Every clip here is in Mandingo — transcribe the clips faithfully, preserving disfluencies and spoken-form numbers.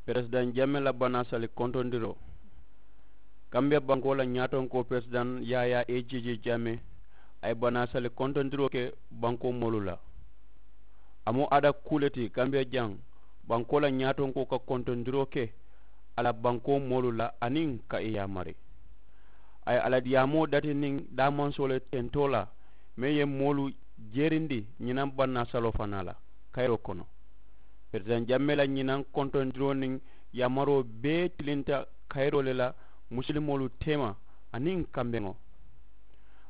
Peresidaŋ jamme la banaasali kontondiroo. Kambiya bankoo la ñaatonkoo peresidaŋ yaayaa e jeejee jamme a ye banaasali kontondiroo ke bankoo moolu la. A mu ada kuu le ti kambiya jaŋ bankoo la ñaatonkoo ka kontondiroo ke a la bankoo moolu la aniŋ ka i yaamari. A ye a la diyaamoo dati niŋ daamansoo le tentoo la meŋ ye moolu jeerindi ñinaŋ bannaasaloo fanaa la kayiroo kono. Peresidaŋ jammee la ñinaŋ kontondiroo niŋ yaamaroo bee tilinta kayiroo le la musilimoolu teema aniŋ kambeŋo.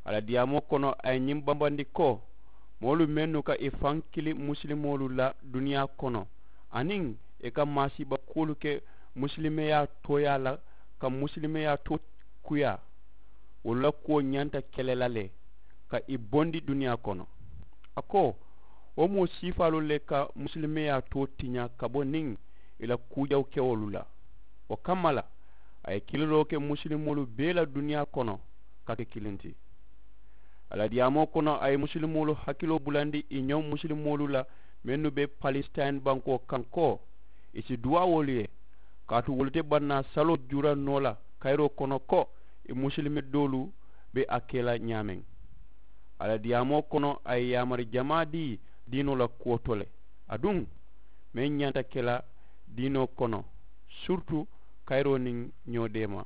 A la diyaamoo kono a ye ñiŋ bambandi ko moolu mennu ka i faŋ kili musilimoolu la duniyaa kono aniŋ i ka maasiiba kuwolu ke musilimeyaa tooyaa la ka musilimeyaa too kuyaa wolu la kuwo ñanta kele la le ka i bondi duniyaa kono. A ko wo moo siifaalu le ka musilimeyaa too tiña ka bo niŋ i la kuujawkewolu la. Wo kamma la a ye kiliroo ke musilimoolu bee la duniyaa kono ka ke kiliŋ ti. A la diyaamoo kono a ye musilimoolu hakiloo bulandi i ñoŋ musilimoolu la mennu be palisitayini bankoo kaŋ ko i si duwaawoolu ye kaatu wolu te bannaa saloo juura noo la kayiroo kono ko i musilime doolu be a ke la ñaameŋ. A la diyaamoo kono a ye yaamari jamaa dii diinoo la kuwo to le aduŋ meŋ ñanta ke la diinoo kono siritu kayiroo niŋ ñoo deema.